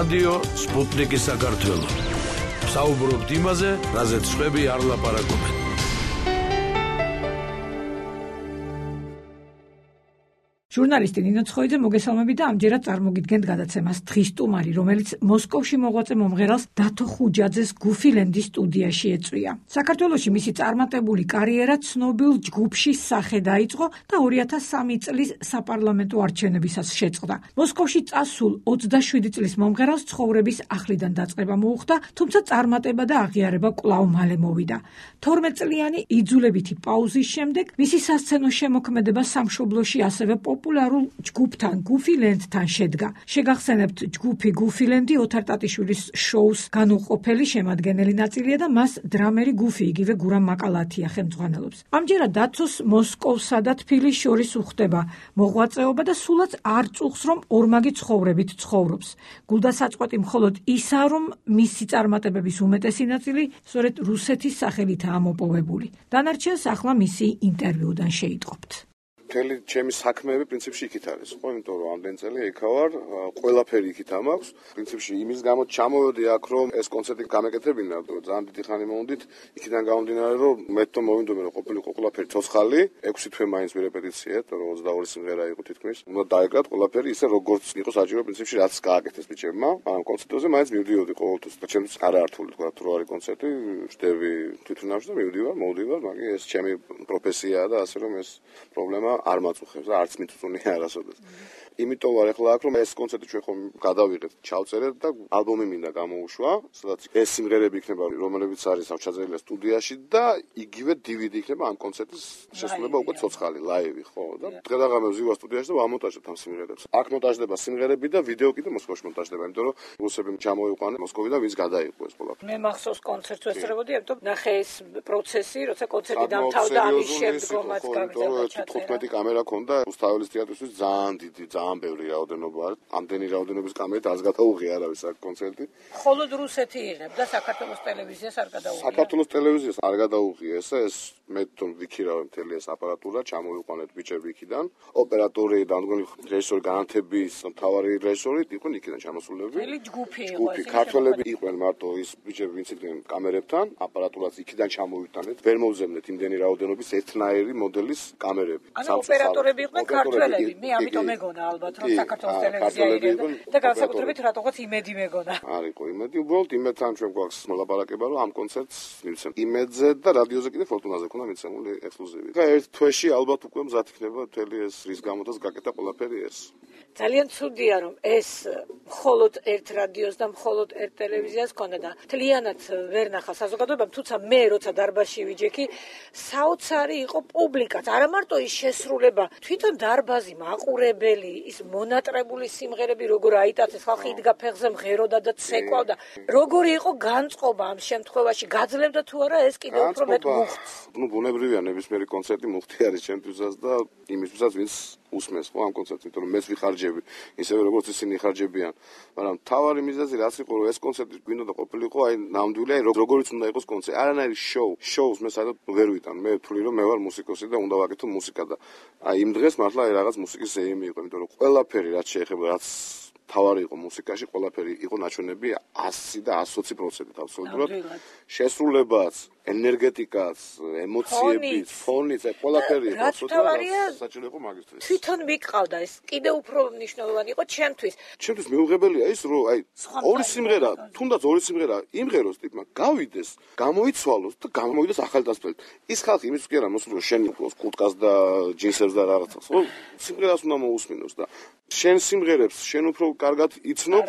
რადიო სპუტნიკი საქართველო. საუბრობთ იმაზე, რაზეც სხვები არ ლაპარაკობენ. ჟურნალისტი ნინო ცხოიძე მოგესალმებით და ამჯერად წარმოგიდგენთ გადაცემას დღის სტუმარი, რომელიც მოსკოვში მოღვაწე მომღერალს დათო ხუჯაძეს გუფილენდის სტუდიაში ეწვია. საქართველოში მისი წარმატებული კარიერა ცნობილ ჯგუფში სახე დაიწყო და 2003 წლის საპარლამენტო არჩევნებისას შეწყდა. მოსკოვში წასულ 27 წლის მომღერალს ცხოვრების ახლიდან დაწყება მოუხდა, თუმცა წარმატება და აღიარება კვლავ მალე მოვიდა. 12 წლიანი იძულებითი პაუზის შემდეგ მისი სასცენო შემოქმედება სამშობლოში ასევე პოპულარულ ჯგუფთან გუფილენდთან შედგა. შეგახსენებთ, ჯგუფი გუფილენდი ოთარ ტატიშვილის შოუს განუყოფელი შემადგენელი ნაწილია და მას დრამერი გუფი იგივე გურამ მაკალათია ხელმძღვანელობს. ამჯერად დაცოს მოსკოვსა და თბილისს შორის უხდება მოღვაწეობა და სულაც არ წუხს, რომ ორმაგი ცხოვრებით ცხოვრობს. გულდასაწყვეტი მხოლოდ ისაა, რომ მისი წარმატებების უმეტესი ნაწილი სწორედ რუსეთის სახელითაა მოპოვებული. დანარჩენს ახლა მისი ინტერვიუდან შეიტყობთ. მთელი ჩემი საქმეები პრინციპში იქით არის, ხო, იმიტომ რომ ამდენ წელი იქა ვარ, ყველაფერი იქით ამაქვს. პრინციპში იმის გამო ჩამოვედი აქ, რომ ეს კონცერტი გამეკეთებინა, ძალიან დიდი ხანი მოვდით, იქიდან გამომდინარე, რომ მე თვითონ მოვინდომე, რომ ყოფილიყო ყველაფერი ცოცხალი, 6 თვე მაინც ვირეპეტიციე, რომ 22 სიმღერა იყო თითქმის. უნდა დაეკრათ ყველაფერი ისე, როგორც იყო საჭირო პრინციპში, რაც გააკეთეს ბიჭებმა. ამ კონცერტზე მაინც მივდიოდი ყოველთვის, და ჩემთვის არაართული თქვა, თუ არის კონცერტი, ვждები თვითონავში და მივდივარ, მოვდივარ, მაგრამ ეს ჩემი პროფესიაა და ასე რომ ეს პრობლემა არ მაწუხებს და არც მიწუნია არასოდეს. იმიტომ ვარ ახლა აქ, რომ ეს კონცერტი ჩვენ ხომ გადავიღეთ, ჩავწერეთ და ალბომი მინდა გამოუშვა, სადაც ეს სიმღერები იქნება, რომლებიც არის ჩაწერილი სტუდიაში და იგივე DVD იქნება ამ კონცერტის შესრულება უკვე ცოცხალი, ლაივი, ხო? და დღე-დაღამე ვზივარ სტუდიაში და ვამონტაჟებ ამ სიმღერებს. აქ მონტაჟდება სიმღერები და ვიდეო კიდე მოსკოვში მონტაჟდება, იმიტომ რომ რუსები ჩამოიყვანენ მოსკოვიდან, ვინც გადაიყო ეს ყველაფერი. მე მახსოვს კონცერტს ვესწრებოდი, ამიტომ ნახე ეს პროცესი, როცა კონცერტი დამთავრდა, ამის შემდგომაც გამიძახა 15 კამერა ქონდა რუსთაველის თეატრისთვის ძალიან დიდი, ძალიან ბევრი რაოდენობა არის. ამდენი რაოდენობის კამერით არც გადაუღია არავის აქ კონცერტი. მხოლოდ რუსეთი იღებდა, საქართველოს ტელევიზიას არ გადაუღია. საქართველოს ტელევიზიას არ გადაუღია მე თვითონ ვიქირავე მთელი ეს აპარატურა, ჩამოვიყვანეთ ბიჭები იქიდან. ოპერატორი და მგონი რეჟისორი განათების მთავარი რეჟისორი იყვნენ იქიდან ჩამოსულები. მთელი ჯგუფი იყო. ჯგუფი ქართველები იყვნენ მარტო ის ბიჭები, ვინც იყვნენ კამერებთან, აპარატურაც იქიდან ჩამოვიტანეთ. ვერ მოვზემნეთ იმდენი რაოდენობის ერთნაირი მოდელის კამერები. ანუ ოპერატორები იყვნენ ქართველები. მე ამიტომ მეგონა ალბათ, რომ საქართველოს ტელევიზია იღებდა და განსაკუთრებით რატოღაც იმედი მეგონა. არისო იმედი, უბრალოდ იმედთან ჩვენ გვაქვს მოლაპარაკება, რომ ამ კონცერტს მივცემ. იმედზე და რადიოზე კიდე ფორტუნაზე ქონდა მიცემული ექსკლუზივი. და ერთ თვეში ალბათ უკვე მზად იქნება მთელი ეს რის გამოდაც გაკეთა ყველაფერი ეს. ძალიან ცუდია, რომ ეს მხოლოდ ერთ რადიოს და მხოლოდ ერთ ტელევიზიას ქონდა და მთლიანად ვერ ნახა საზოგადოებამ, თუმცა მე როცა დარბაზში ვიჯექი, საოცარი იყო პუბლიკაც, არა მარტო ის შესრულება, თვითონ დარბაზი, მაყურებელი, ის მონატრებული სიმღერები, როგორ აიტაცეს, ხალხი იდგა ფეხზე, მღეროდა და ცეკვავდა. როგორი იყო განწყობა ამ შემთხვევაში, გაძლევდა თუ არა ეს კიდევ უფრო მეტ მუხტს. ნუ ბუნებრივია ნებისმიერი კონცერტი მუხტი არის ჩემთვისაც და იმისთვისაც ვინც უსმენს ხო ამ კონცერტს, იმიტომ რომ მეც ვიხარჯები, ისევე როგორც ისინი ხარჯებიან. მაგრამ თავარი მიზეზი რაც იყო, რომ ეს კონცერტი გვინდოდა ყოფილიყო, აი ნამდვილი, როგორიც უნდა იყოს კონცერტი, არანაირი შოუს მე საერთოდ ვერ ვიტან. მე ვთვლი რომ მე ვარ მუსიკოსი და უნდა ვაკეთო მუსიკა და აი იმ დღეს მართლა რაღაც მუსიკის ზეიმი იყო, იმიტომ რომ ყველაფერი რაც შეეხება, რაც თავარი იყო მუსიკაში, ყველაფერი იყო ნაჩვენები 100 და 120% აბსოლუტურად. შესრულებაც, ენერგეტიკაც, ემოციებიც, ფონიც, ყველაფერი იყო აბსოლუტურად საჭირო იყო მაგისტრის. თვითონ მიყავდა ეს, კიდევ უფრო მნიშვნელოვანი იყო ჩემთვის. ჩემთვის მიუღებელია ის, რომ აი ორი სიმღერა, თუნდაც ორი სიმღერა იმღეროს ტიპმა, გავიდეს, გამოიცვალოს და გამოვიდეს ახალი დასწრებით. ის ხალხი იმის კი არა მოსული, რომ შენ უყუროს კურტკას და ჯინსებს და რაღაცას, ხო? სიმღერას უნდა მოусმინოს და შენ სიმღერებს შენ უფრო კარგად იცნობ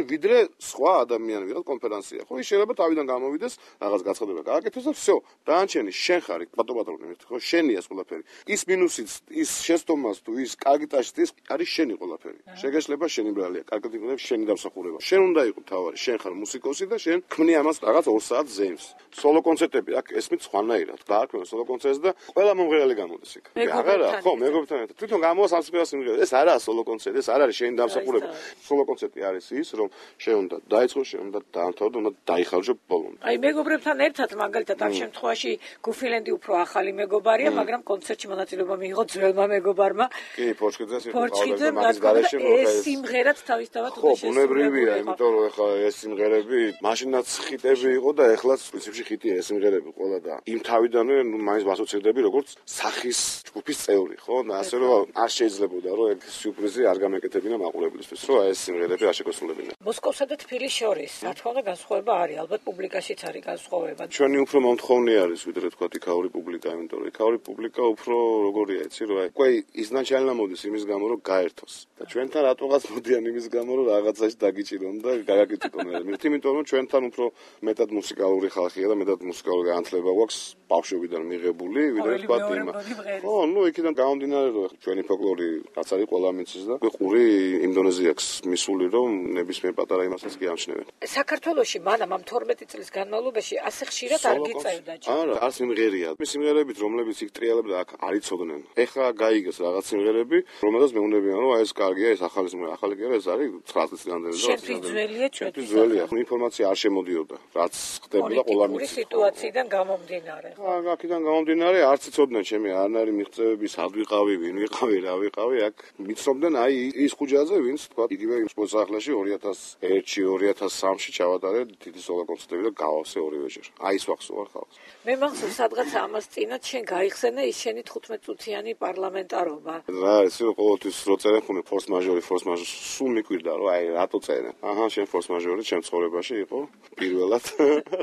ვიდრე სხვა ადამიანი ვიღაც კონფერენცია. ხო, ის შეიძლება თავიდან გამოვიდეს, რაღაც გაცხადება გააკეთოს და всё, დაანჩენი შენ ხარ პატოპატრონი, ხო, შენია ყველაფერი. ის მინუსიც, ის შეცდომას თუ ის კარგი ტაშტი არის შენი ყველაფერი. შეგეშლება შენი ბრალია, კარგად იქნება შენი დამსახურება. შენ უნდა იყო თავარი, შენ ხარ მუსიკოსი და შენ ქმნი ამას რაღაც 2 საათ ზეიმს. სოლო კონცერტები აქ ესმით სხვანაირად. დაარქმევ სოლო კონცერტს და ყველა მომღერალი გამოდის იქ. აღარა, ხო, მეგობრებთან ერთად. თვითონ გამოვა სამსახურა სიმღერა. ეს არაა სოლო კონცერტი, ეს არ არის შენი დამსახურება. სოლო კონცერტი არის ის, რომ შენ უნდა დაიწყო, შენ უნდა დაამთავრდე, უნდა დაიხარჯო ბოლომდე. აი მეგობრებთან გუფილენთან ერთად, მაგალითად ამ შემთხვევაში გუფილენდი უფრო ახალი მეგობარია, მაგრამ კონცერტში მონაწილეობა მიიღო ძველმა მეგობარმა. კი, ფორჩხიძეს იყო ფორჩხიძე, მაგის გარეშე ეს სიმღერაც თავისთავად ხო, ბუნებრივია, იმიტომ რომ ეხლა ეს სიმღერები მაშინაც ხიტები იყო და ეხლაც პრინციპში ხიტია ეს სიმღერები ყველა და იმ თავიდანვე მაინც ვასოცირდები როგორც სახის ჯგუფის წევრი, ხო? და ასე რომ არ შეიძლებოდა რომ ეგ სიურპრიზი არ გამეკეთებინა მაყურებლისთვის, რომ ეს სიმღერები არ შეგოსულებინა. მოსკოვსა და თბილისს შორის, რა თქმა უნდა, განსხვავება არის, ალბათ პუბლიკაშიც არის განსხვავება. ჩვენი უფრო მომთხოვნი არის, ვიდრე თქვა იქაური პუბლიკა, იმიტომ რომ იქაური პუბლიკა უფრო როგორია, იცი რომ უკვე ისნაჩალნა მოდის იმის გამო რომ გაერთოს. და ჩვენთან რატოღაც მოდიან იმის გამო რომ რაღაცაში დაგიჭირონ და გაგაკრიტიკონ. იმიტომ რომ ჩვენთან უფრო მეტად მუსიკალური ხალხია და მეტად მუსიკალური განათლება გვაქვს ბავშვობიდან მიღებული, ვიდრე თქვა იმა. ხო, ნუ იქიდან გამომდინარე რომ ჩვენი ფოლკლორი რაც არის ყველა მიცის და ყური იმ დონეზე აქვს მისული რომ ნებისმიერ პატარა იმასაც კი ამჩნევენ. საქართველოში მანამ ამ 12 წლის განმავლობაში ასე ხშირად არ გიწევდა ჯერ. არა, არ სიმღერია. სიმღერებით რომლებიც იქ ტრიალებდა აქ არ იცოდნენ. ეხლა გაიგეს რაღაც სიმღერები, რომელსაც მეუნებიან რომ აი ეს კარგია, ეს ახალი სიმღერა, ახალი კი არა, ეს არის 9 წლის განმავლობაში. შენთვის ძველია, ჩვენთვის ძველია. ინფორმაცია არ შემოდიოდა, რაც ხდებოდა ყველა მის სიტუაციიდან გამომდინარე. აქედან გამომდინარე არც იცოდნენ ჩემი არნარი მიღწევები, სად ვიყავი, ვინ ვიყავი, რა ვიყავი, აქ მიცნობდნენ აი ის ხუჯაზე, ვინც თქვა იგივე სპორტსახლებში 2001-ში, 2003-ში ჩავატარე დიდი სოლო კონცერტები და გავავსე ორივეჯერ. აი ის ვახსოვარ ხალხს. მე მახსოვს სადღაც ამას წინათ შენ გაიხსენე ის შენი 15 წუთიანი პარლამენტარობა. რა არის რომ ყოველთვის რო წერენ ხუნე ფორს მაჟორი სულ მიკვირდა რომ აი რატო წერენ. აჰა, შენ ფორს მაჟორი ჩემ ცხოვრებაში იყო პირველად,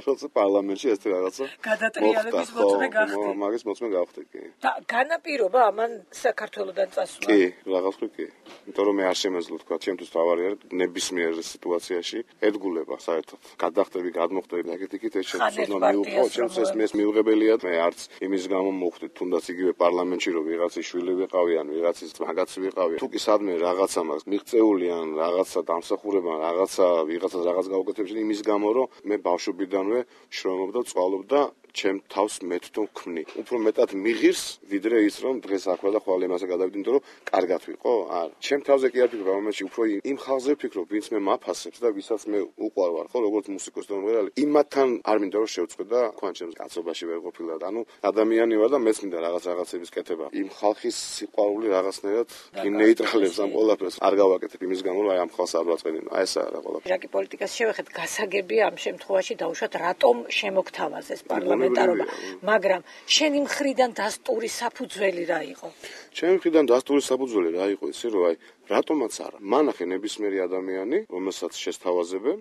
როცა პარლამენტში ეს რაღაცა გადატრიალების მოწმე გახდი. მაგის მოწმე გავხდი კი. და განაპირობა ამან საქართველოდან წასვლა. კი, რაღაც კი. იმიტომ რომ მე არ შემეძლო თქვა, ჩემთვის თავარი არის ნებისმიერ სიტუაციაში ედგულება საერთოდ. გადახდები, გადმოხდები, აკეთიკით ეს შეცდომა მიუღო, ჩემს ეს მიუღებელია. მე არც იმის გამო მოხდით, თუნდაც იგივე პარლამენტში რომ ვიღაცის შვილი ვიყავი ან ვიღაცის მაგაცი ვიყავი. თუ კი სადმე რაღაცა მაქვს მიღწეული ან რაღაცა დამსახურება, ვიღაცას რაღაც გაუკეთებს იმის გამო რომ მე ბავშვობიდანვე შრომობდა, წვალობდა ჩემ თავს მეთქო ვქმნი. უფრო მეტად მიღირს, ვიდრე ის რომ დღეს აქვე და ხვალ იმასე გადავიდი, იმიტომ რომ კარგად ვიყო. არა. ჩემ თავზე კი არ ვფიქრობ, მომენტში უფრო იმ ხალხზე ვფიქრობ, ვინც მე მაფასებს და ვისაც მე უყვარვარ, ხო, როგორც მუსიკოსი და მომღერალი. იმათთან არ მინდა რომ შევწყვე და თქვენ ჩემს კაცობაში ვერ ყოფილა. ანუ ადამიანი ვარ და მეც მინდა რაღაცების კეთება. იმ ხალხის სიყვარული რაღაცნაირად ნეიტრალებს ამ ყველაფერს. არ გავაკეთებ იმის გამო, რომ აი ამ ხალხს არ ვაწყენინო. აი ესაა რა ყველაფერი. რაკი პოლიტიკას შევეხეთ, გასაგებია ამ შემთხვევაში დაუშვათ რატომ შემოგთავაზეს პარლამენტარობა, მაგრამ შენი მხრიდან დასტური საფუძველი რა იყო? ჩემი მხრიდან დასტური საფუძველი რა იყო, იცი რომ აი რატომაც არა. მანახე ნებისმიერი ადამიანი, რომელსაც შესთავაზებენ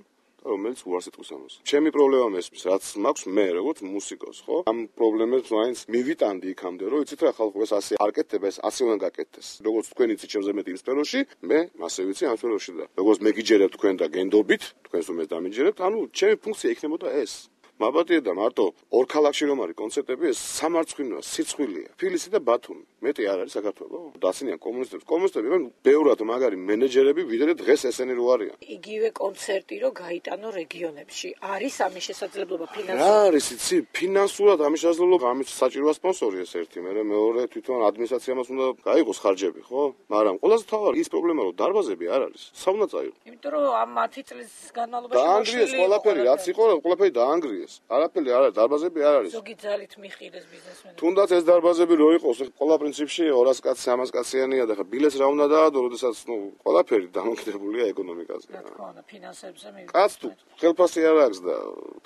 რომელიც უარს იტყვის ამას. ჩემი პრობლემა მესმის, რაც მაქვს მე როგორც მუსიკოს, ხო? ამ პრობლემებს მაინც მივიტანდი იქამდე, რომ იცით რა ხალხო ეს ასე არ კეთდება, ეს ასე უნდა გაკეთდეს. როგორც თქვენ იცით ჩემზე მეტი იმ სფეროში, მე მასე ვიცი ამ სფეროში და როგორც მეგიჯერებთ თქვენ და გენდობით, თქვენს უმეს დამიჯერებთ, ანუ ჩემი ფუნქცია იქნებოდა ეს. მაბატია და მარტო ორ ქალაქში რომ არის კონცერტები, ეს სამარცხვინოა, სიცხვილეა. თბილისი და ბათუმი. მეტი არ არის საქართველოს. დაცინიან კომუნისტებს. კომუნისტები რომ ბევრად მაგარი მენეჯერები, ვიდრე დღეს ესენი რო არიან. იგივე კონცერტი რო გაიტანო რეგიონებში. არის ამის შესაძლებლობა ფინანსურად? რა არის, იცი, ფინანსურად ამის შესაძლებლობა, ამის საჭიროა სპონსორი ეს ერთი, მეორე თვითონ ადმინისტრაციამაც უნდა გაიღოს ხარჯები, ხო? მაგრამ ყველაზე თავარი ის პრობლემა რომ დარბაზები არ არის. საუნდა წაიღო. იმიტომ რომ ამ 10 წლის განმავლობაში დაანგრიეს ყველაფერი, რაც იყო, ყველაფერი დაანგრიეს. არაფერი არ არის, დარბაზები არ არის. ზოგი ძალით მიხილეს ბიზნესმენები. თუნდაც ეს დარბაზები რო იყოს, ყველა პრინციპში 200 კაცი, 300 კაციანია და ხა ბილეთს რა უნდა დაადო, როდესაც ყველაფერი დამოკიდებულია ეკონომიკაზე. რა თქმა უნდა, ფინანსებზე მივიდა. კაც თუ ხელფასი არ აქვს და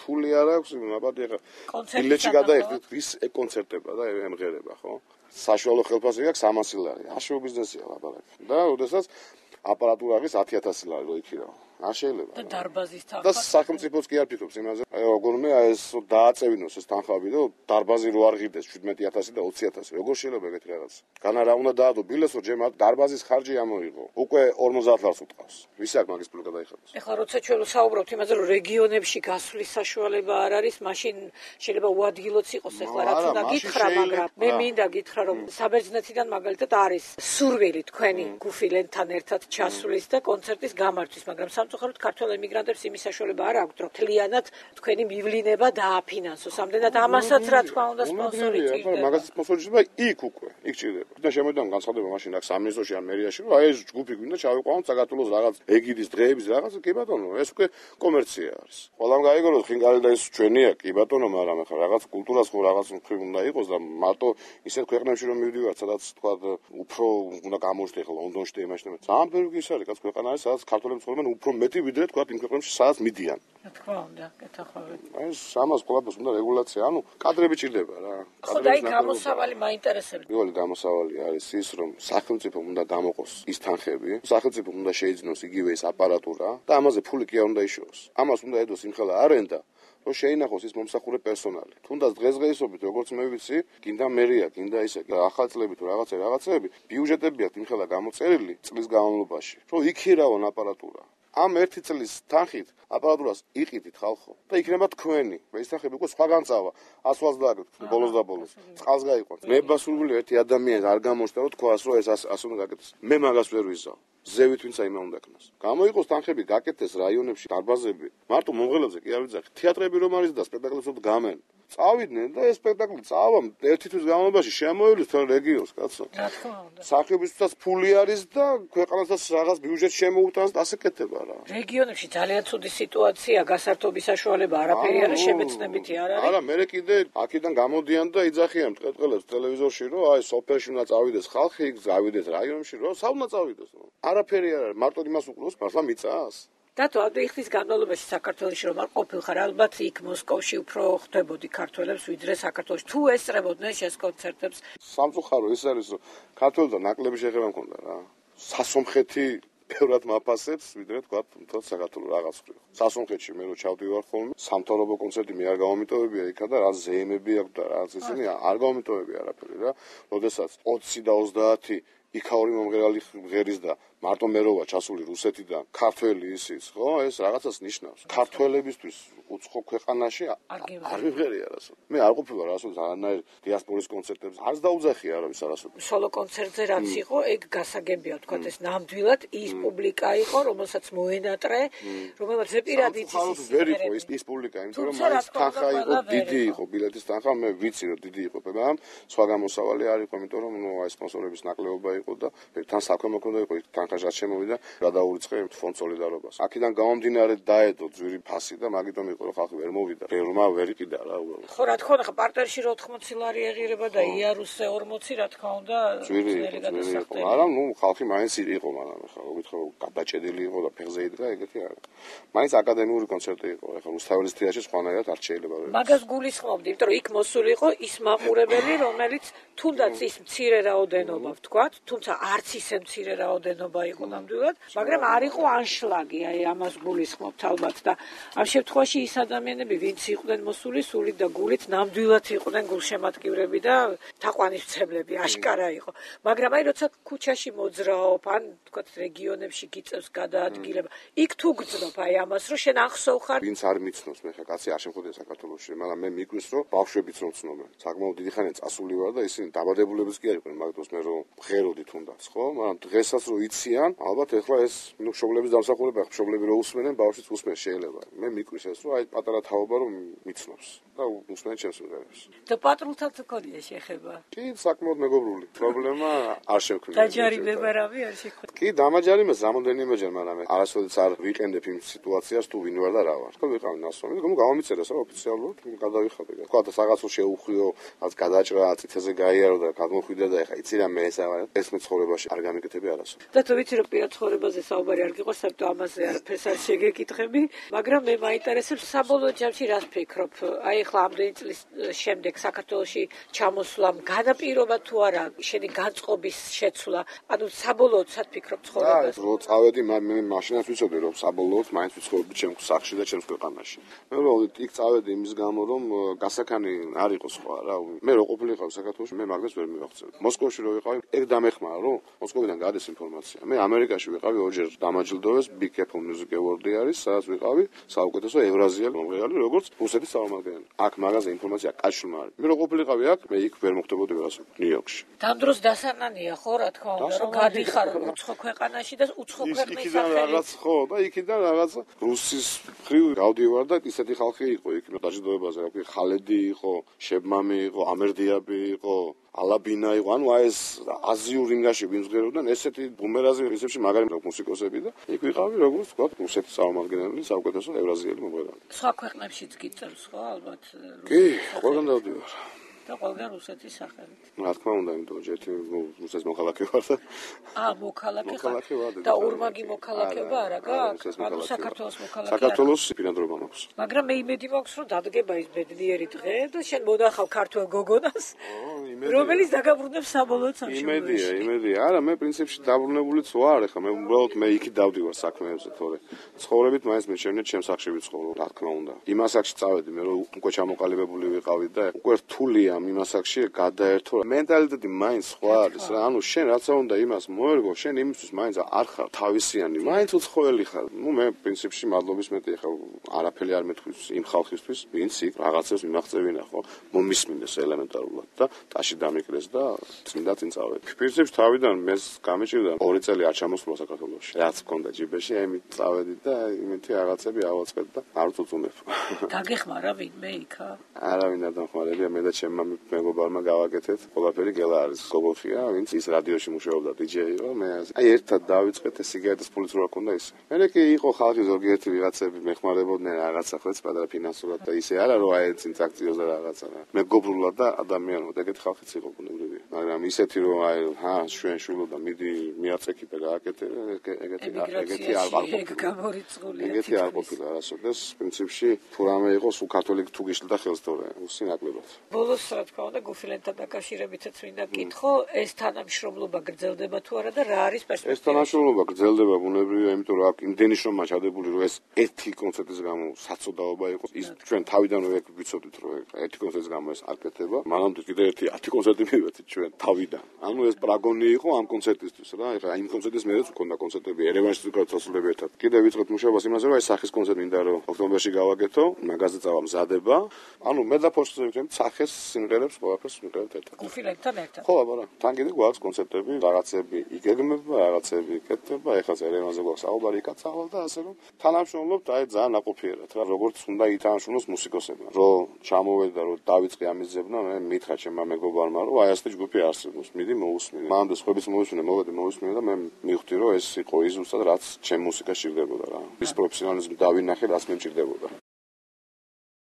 ფული არ აქვს, მაბატი ხა ბილეთში გადაიხდით, ვის ეკონცერტება და ემღერება, ხო? საშუალო ხელფასი აქვს 300 ლარი. აშო ბიზნესია ლაპარაკი. და როდესაც აპარატურა არის 10000 ლარი რო იქირავ. არ შეიძლება. და დარბაზის თანხა. და სახელმწიფოც კი არ ფიქრობს იმაზე. აი როგორმე ეს დააწევინოს ეს თანხები და დარბაზი რო არ ღირდეს 17000 და 20000. როგორ შეიძლება ეგეთი რაღაც? განა რა უნდა დაადო ბილეთს რომ ჯერ დარბაზის ხარჯი ამოიღო. უკვე 50 ლარს უტყავს. ვის აქ მაგის ფული გადაიხადოს? ეხლა როცა ჩვენ ვსაუბრობთ იმაზე რომ რეგიონებში გასვლის საშუალება არ არის, მაშინ შეიძლება უადგილოც იყოს ეხლა რაც უნდა გითხრა, მაგრამ მე მინდა გითხრა რომ საბერძნეთიდან მაგალითად არის სურვილი თქვენი გუფილენთან ერთად ჩასვლის და კონცერტის გამართვის, მაგრამ სამწუხაროდ ქართველ ემიგრანტებს იმის საშუალება არ აქვთ, რომ თლიანად თქვენი მივლინება დააფინანსოს. ამდენად ამასაც რა თქმა უნდა სპონსორი ჭირდება. მაგას სპონსორი ჭირდება იქ უკვე, იქ ჭირდება. და შემოიდგან განცხადება მაშინ აქ სამინისტროში ან მერიაში, რომ აი ეს ჯგუფი გვინდა ჩავიყვანოთ საქართველოს რაღაც ეგიდის დღეების რაღაც, კი ბატონო, ეს უკვე კომერცია არის. ყველამ გაიგონოს ხინკალი და ეს ჩვენია, კი ბატონო, მაგრამ ახლა რაღაც კულტურას ხო რაღაც უფრო უნდა იყოს და მარტო ისეთ ქვეყნებში რომ მივდივართ, სადაც თქვა უფრო უნდა გამოჩნდე ახლა ლონდონში და იმაში. ძალიან ბევრი ის არის, კაც ქვეყანა არის, სადაც ქართველები ცხოვრობენ უფრო მეტი ვიდრე თქვა იმ ქვეყნებში, სადაც მიდიან. რა თქმა უნდა, კეთახავით. აი სამას ყველაფერს უნდა რეგულაცია, ანუ კადრები ჭირდება რა. ხო და აი გამოსავალი მაინტერესებს. პირველი გამოსავალი არის ის, რომ სახელმწიფომ უნდა დამოყოს ის თანხები, სახელმწიფომ უნდა შეიძინოს იგივე ის აპარატურა და ამაზე ფული კი არ უნდა იშოვოს. ამას უნდა ედოს იმხელა არენდა, რომ შეინახოს ის მომსახურე პერსონალი. თუნდაც დღესდღეობით, როგორც მე ვიცი, გინდა მერია, გინდა ისე ახალწლები თუ რაღაცები, ბიუჯეტები აქვს იმხელა გამოწერილი წლის განმავლობაში, რომ იქირავონ აპარატურა. ამ ერთი წლის თანხით აპარატურას იყიდით ხალხო და იქნება თქვენი. ეს თანხები უკვე სხვაგან წავა. ასვას დააგდოთ ბოლოს და ბოლოს. წყალს გაიყვანთ. მე ბასურვილი ერთი ადამიანი არ გამოჩნდა რომ თქვას რომ ეს ასე უნდა გაკეთდეს. მე მაგას ვერ ვიზავ. ზევით ვინც აიმა უნდა ქნას. გამოიყოს თანხები გაკეთდეს რაიონებში დარბაზები. მარტო მომღერლებზე კი არ ვიძახი. თეატრები რომ არის და სპექტაკლებს რომ გამენ. წავიდნენ და ეს სპექტაკლი წავა ერთი თვის განმავლობაში შემოივლის თელ რეგიონს, კაცო. რა თქმა უნდა. სახლებისთვისაც ფული არის და ქვეყანასაც რაღაც ბიუჯეტი შემოუტანს და ასე კეთება რა. რეგიონებში ძალიან ცუდი სიტუაცია, გასართობის საშუალება არაფერი არის, შემეცნებითი არ არის. არა, მე კიდე აქედან გამოდიან და იძახიან მტყეტყელებს ტელევიზორში, რომ აი სოფელში უნდა წავიდეს ხალხი, წავიდეს რაიონებში, რომ სად უნდა წავიდეს? არაფერი არ არის, მარტო იმას უყუროს, მართლა მიწას. დათო, ადრე ხის განმავლობაში საქართველოში რომ არ ყოფილხარ, ალბათ იქ მოსკოვში უფრო ხდებოდი ქართველებს ვიდრე საქართველოში. თუ ესწრებოდნენ შენს კონცერტებს? სამწუხარო ის არის, რომ ქართველთა ნაკლები შეხება მქონდა რა. სასომხეთი ბევრად მაფასებს, ვიდრე თქვა თუნდაც საქართველოს რაღაც ხრი. სასომხეთში მე რო ჩავდივარ ხოლმე, სამთავრობო კონცერტი მე არ გამომიტოვებია იქა და რა ზეიმები აქვს და რა ისინი არ გამომიტოვებია არაფერი რა. როდესაც 20 და 30 იქაური მომღერალი ღერის და მარტო მეროვა ჩასული რუსეთიდან ქართველი ისიც, ხო? ეს რაღაცას ნიშნავს. ქართველებისთვის უცხო ქვეყანაში არ მიღერია რასო. მე არ ყოფილა რასო არანაირ დიასპორის კონცერტებზე. არც დაუძახია არავის არასო. სოლო კონცერტზე რაც იყო, ეგ გასაგებია, თქვა ეს ნამდვილად ის პუბლიკა იყო, რომელსაც მოენატრე, რომელსაც ზეპირად იცის. ვერ იყო ის პუბლიკა, იმიტომ რომ მაინც თანხა იყო, დიდი იყო ბილეთის თანხა, მე ვიცი რომ დიდი იყო, მაგრამ სხვა გამოსავალი არ იყო, იმიტომ რომ ნუ აი სპონსორების ნაკლებობა იყო და თან საქმე მქონდა იყო თანხაჟად შემოვიდა რა დაურიცხე ფონდ სოლიდარობას. აქედან გამომდინარე დაედო ძვირი ფასი და მაგიტომ იყო რომ ხალხი ვერ მოვიდა. ფერმა ვერ იყიდა რა უბრალოდ. ხო რა თქმა უნდა, ხა პარტერში 80 ლარი ეღირება და იარუსზე 40 რა თქმა უნდა ძვირი გადასახდელი. არა, ნუ ხალხი მაინც იყო, მაგრამ ხა გითხრა გადაჭედილი იყო და ფეხზე იდგა ეგეთი არა. მაინც აკადემიური კონცერტი იყო. ხა რუსთაველის თეატრში სხვანაირად არ შეიძლება. მაგას გულისხმობდი, იმიტომ რომ იქ მოსული იყო ის მაყურებელი, რომელიც თუნდაც ის მცირე რაოდენობა ვთქვათ, თუმცა არც ისე მცირე რაოდენობა იყო ნამდვილად, მაგრამ არ იყო ანშლაგი, აი ამას გულისხმობთ ალბათ და ამ შემთხვევაში ის ადამიანები, ვინც იყვნენ მოსული სულით და გულით, ნამდვილად იყვნენ გულშემატკივრები და თაყვანისმცემლები, აშკარა იყო. მაგრამ აი როცა ქუჩაში მოძრაობ, ან თქვათ რეგიონებში გიწევს გადაადგილება, იქ თუ გძნობ აი ამას, რომ შენ ახსოვ ხარ, ვინც არ მიცნობს, მე ხა კაცი არ შემხოდია საქართველოში, მაგრამ მე მიგვის რომ ბავშვებიც რომ ცნობენ. საკმაოდ დიდი ხანია წასული ვარ და ისინი დაბადებულებიც კი არ იყვნენ, მაგდროს მე რომ ღეროდი თუნდაც, ხო? მაგრამ დღესაც რომ იციან, ალბათ ეხლა ეს ნუ მშობლების დამსახურება, მშობლები რო უსმენენ, ბავშვიც უსმენს შეიძლება. მე მიგვის ეს რომ აი პატარა თაობა რომ მიცნობს და უსმენ ჩემს მიღებს. და პატრულთან თუ ქონია შეხება? კი, საკმაოდ მეგობრული. პრობლემა არ შევქმნა. დაჯარიმება რავი არ შეხვდა. კი, დამაჯარიმეს რამოდენიმეჯერ, მაგრამ არასოდეს არ ვიყენდებ იმ სიტუაციას თუ ვინ ვარ და რა ვარ. ხო ვიყავ ნასვამი, გამომიწერეს რა ოფიციალურად, გადავიხადე. თქვა და რაღაცო შეუხვიო, რაც გადაჭრა, წითელზე გაიარო და გადმოხვიდა და ეხა იცი რა მე ეს მეცხოვრებაში არ გამიკეთები არასო. და თუ ვიცი რომ პირად ცხოვრებაზე საუბარი არ გიყოს, საერთოდ ამაზე არაფერს არ შეგეკითხები, მაგრამ მე მაინტერესებს საბოლოო ჯამში რას ფიქრობ? აი ახლა ამდენი წლის შემდეგ საქართველოში ჩამოსვლამ განაპირობა თუ არა შენი განწყობის შეცვლა? ანუ საბოლოოდ სად ფიქრობ ცხოვრებას? რო წავედი, მე მაშინაც ვიცოდი რომ საბოლოოდ მაინც ვიცხოვრობდი ჩემს სახში და ჩემს ქვეყანაში. მე უბრალოდ იქ წავედი იმის გამო რომ გასაქანი არ იყო სხვა რა. მე რო ყოფილიყავ საქართველოში, მე მაგას ვერ მივახცევდი. მოსკოვში რო ვიყავი, ეგ დამეხმარა გაგეხმარა რომ მოსკოვიდან გადის ინფორმაცია. მე ამერიკაში ვიყავი ორჯერ დამაჯილდოვეს Big Apple Music Award-ი არის, სადაც ვიყავი საუკეთესო ევრაზიელი მომღერალი, როგორც რუსეთის წარმომადგენელი. აქ მაგაზე ინფორმაცია კაშულმა არის. მე რო ყოფილიყავი აქ, მე იქ ვერ მოხდებოდი ვერასოდეს ნიუ-იორკში. ამ დროს დასანანია ხო რა თქმა უნდა, რომ გადიხარ უცხო ქვეყანაში და უცხო ქვეყნის სახელით. ხო, და იქიდან რაღაც რუსის ხრივ გავდივარ და ისეთი ხალხი იყო იქ დაჯილდოებაზე, რა ხალედი იყო, შებმამი იყო, ამერდიაბი იყო, ალაბინა იყო, ანუ აი ეს აზიურ რინგაში ვიმსგეროდნენ ესეთი ბუმერაზი პრინციპში მაგარი მუსიკოსები და იქ ვიყავი როგორც თქვა რუსეთის წარმომადგენელი, საუკეთესო ევრაზიელი მომღერალი. სხვა ქვეყნებშიც გიწევს ხო ალბათ? კი, ყველგან დავდივარ. და ყველგან რუსეთის სახელით. რა თქმა უნდა, იმიტომ რომ ერთი რუსეთის მოქალაქე ვარ და მოქალაქე ხარ. და ორმაგი მოქალაქეობა არა გაქვს? ანუ საქართველოს მოქალაქე. საქართველოს ბინადრობა მაქვს. მაგრამ მე იმედი მაქვს, რომ დადგება ის ბედნიერი დღე და შენ მონახავ ქართველ გოგონას, რომელიც დაგაბრუნებს საბოლოო სამშობლოში. იმედია. არა, მე პრინციპში დაბრუნებულიც ვარ, ეხლა მე უბრალოდ მე იქით დავდივარ საქმეებზე, თორე ცხოვრებით მაინც მეჩვენეთ ჩემს სახში ვიცხოვრო, რა თქმა უნდა. იმ ასაკში წავედი, მე რომ უკვე ჩამოყალიბებული ვიყავი და უკვე რთულია იმ ასაკში გადაერთო. მენტალიტეტი მაინც სხვა არის რა. ანუ შენ რაცა უნდა იმას მოერგო, შენ იმისთვის მაინც არ ხარ თავისიანი, მაინც უცხოელი ხარ. მე პრინციპში მადლობის მეტი ეხლა არაფერი არ მეთქვის იმ ხალხისთვის, ვინც იქ რაღაცებს მიმაღწევინა ხო, მომისმინეს ელემენტარულად და ტაში დამიკრეს და წინდა წინ წავედი. პრინციპში თავიდან მეს გამიჭირდა 2 წელი არ ჩამოსვლა საქართველოში. რაც მქონდა ჯიბეში, ამით წავედი და იმითი რაღაცები ავაწყეთ და არ წუწუნებ. გაგეხმარა ვინმე იქა? არავინ არ დამხმარებია, მე და ჩემმა მეგობარმა გავაკეთეთ. ყველაფერი გელა არის გოგოხია, ვინც ის რადიოში მუშაობდა DJ-ო, მე აი ერთად დავიწყეთ ეს სიგარეტის ფულიც რო აქონდა ისე. მე კი იყო ხალხი ზოგიერთი ვიღაცები მეხმარებოდნენ რაღაცა ხო პატარა ფინანსურად და ისე არა რომ აი წინ წაქციოს და რაღაცა რა. მეგობრულად და ადამიანურად ეგეთი ხალხიც იყო ბუნებრივია. მაგრამ ისეთი რომ აი ჩვენ შვილო და მიდი მიაწექიფე გააკეთე ეგეთი არ გამორიცხულია. ეგეთი არ ყოფილა არასოდეს პრინციპში თუ რამე იყოს უკათოლიკ თუ გიშლდა ხელს თორე უსინაკლებად. ბოლოს რა თქმა უნდა გუფილენთან დაკავშირებითაც მინდა გითხო, ეს თანამშრომლობა გრძელდება თუ არა და რა არის პერსპექტივა? ეს თანამშრომლობა გრძელდება ბუნებრივია, იმიტომ რომ აქ იმდენი შრომა ჩადებული, რომ ეს ერთი კონცერტის გამო საწოდაობა იყოს. ის ჩვენ თავიდანვე ვიცოდით, რომ ერთი კონცერტის გამო ეს არ კეთდება. მანამდე კიდე ერთი 10 კონცერტი მივეცით ჩვენ თავიდან. ანუ ეს პრაგონი იყო ამ კონცერტისთვის რა. ეხლა იმ კონცერტის მერეც მქონდა კონცერტები ერევანში ვიკავწასულები ერთად. კიდე ვიწყეთ მუშაობას იმაზე, რომ აი სახის კონცერტი მინდა რომ ოქტომბერში გავაკეთო, მაგაზე წავა მზადება. ანუ მე და ფორსზე ვიქნებით სახეს სიმღერებს ყველაფერს ვიყავით ერთად. გუფილენთან ერთად. ხო, აბა რა. თან კიდე გვაქვს კონცერტები, რაღაცები იგეგმება, რაღაცები იკეთება, ეხლა ერევანზე გვაქვს საუბარი იკაცავალ და ასე რომ თანამშრომლობთ აი ძალიან ნაყოფიერად რა, როგორც უნდა ითანამშრომლოს მუსიკოსებმა. რომ ჩამოვედა, რომ დავიწყე ამის ზებნა, მე მითხრა ჩემმა მეგობარმა, რომ აი ასეთი ჯგუფი არსებობს, მიდი მოусმინე. მანამდე სხვების მოусმინე, მოვედი და მე მივხვდი, რომ ეს იყო ის ზუსტად რაც ჩემ მუსიკაში სჭირდებოდა რა. ის პროფესიონალიზმი დავინახე, რაც მე მჭირდებოდა.